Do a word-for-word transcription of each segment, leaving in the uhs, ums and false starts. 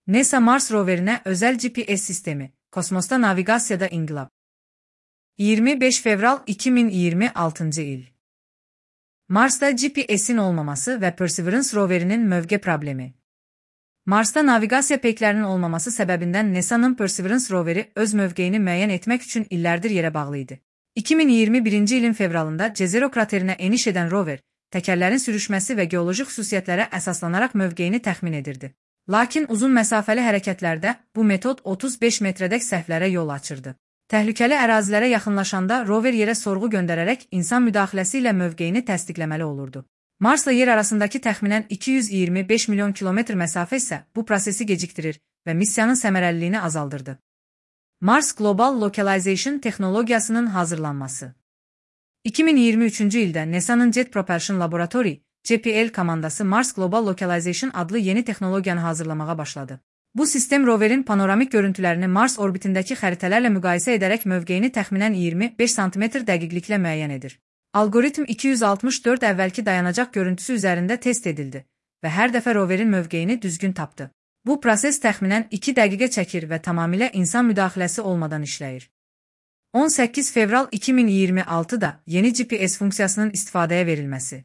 NASA Mars roverinə özel G P S sistemi, kosmosda navigasiyada inqilab. iyirmi beş fevral iki min iyirmi altıncı il. Marsda G P S'in olmaması ve Perseverance roverinin mövqe problemi. Marsda naviqasiya peyklərinin olmaması səbəbindən NASA'nın Perseverance roveri öz mövqeyini müəyyən etmək üçün illərdir yerə bağlı idi. iki min iyirmi birinci ilin fevralında Jezero kraterinə eniş edən rover, təkərlərin sürüşməsi və geoloji xüsusiyyətlərə əsaslanaraq mövqeyini təxmin edirdi. Lakin uzun məsafəli hərəkətlərdə bu metod otuz beş metrədək səhvlərə yol açırdı. Təhlükəli ərazilərə yaxınlaşanda rover yerə sorğu göndərərək insan müdaxiləsi ilə mövqeyini təsdiqləməli olurdu. Marsla yer arasındakı təxminən iki yüz iyirmi beş milyon kilometr məsafə isə bu prosesi gecikdirir və missiyanın səmərəliliyini azaldırdı. Mars Global Localization texnologiyasının hazırlanması. iki min iyirmi üçüncü ildə NASA'nın Jet Propulsion Laboratory, J P L komandası Mars Global Localization adlı yeni texnologiyanı hazırlamağa başladı. Bu sistem roverin panoramik görüntülərini Mars orbitindəki xəritələrlə müqayisə edərək mövqeyini təxminən iyirmi beş santimetr dəqiqliklə müəyyən edir. Algoritm iki yüz altmış dörd əvvəlki dayanacaq görüntüsü üzərində test edildi və hər dəfə roverin mövqeyini düzgün tapdı. Bu proses təxminən iki dəqiqə çəkir və tamamilə insan müdaxiləsi olmadan işləyir. on səkkiz fevral iki min iyirmi altıda yeni G P S funksiyasının istifadəyə verilməsi.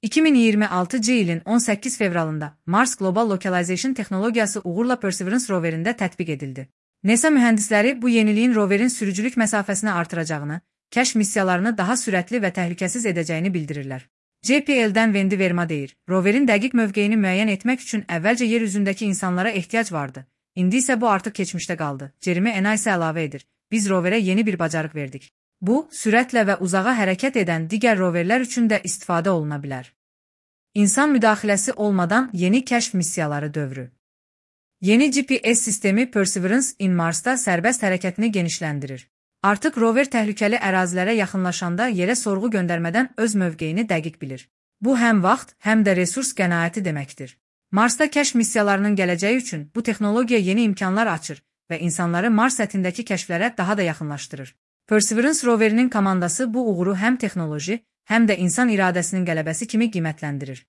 iki min iyirmi altıncı ilin on səkkiz fevralında Mars Global Localization texnologiyası uğurla Perseverance roverində tətbiq edildi. NASA mühəndisləri bu yeniliyin roverin sürücülük məsafəsini artıracağını, kəşf missiyalarını daha sürətli və təhlükəsiz edəcəyini bildirirlər. J P L'dən Wendy Verma deyir, roverin dəqiq mövqeyini müəyyən etmək üçün əvvəlcə yer üzündəki insanlara ehtiyac vardı. İndi isə bu artıq keçmişdə qaldı. Jeremy Ena isə əlavə edir, biz roverə yeni bir bacarıq verdik. Bu, sürətlə və uzağa hərəkət edən digər roverlər üçün də istifadə oluna bilər. İnsan müdaxiləsi olmadan yeni kəşf missiyaları dövrü. Yeni G P S sistemi Perseverance in Marsda sərbəst hərəkətini genişləndirir. Artıq rover təhlükəli ərazilərə yaxınlaşanda yerə sorğu göndərmədən öz mövqeyini dəqiq bilir. Bu həm vaxt, həm də resurs qənaəti deməkdir. Marsda kəşf missiyalarının gələcəyi üçün bu texnologiya yeni imkanlar açır və insanları Mars səthindəki kəşflərə daha da yaxınlaşdırır. Perseverance roverinin komandası bu uğuru həm texnoloji, həm də insan iradəsinin qələbəsi kimi qiymətləndirir.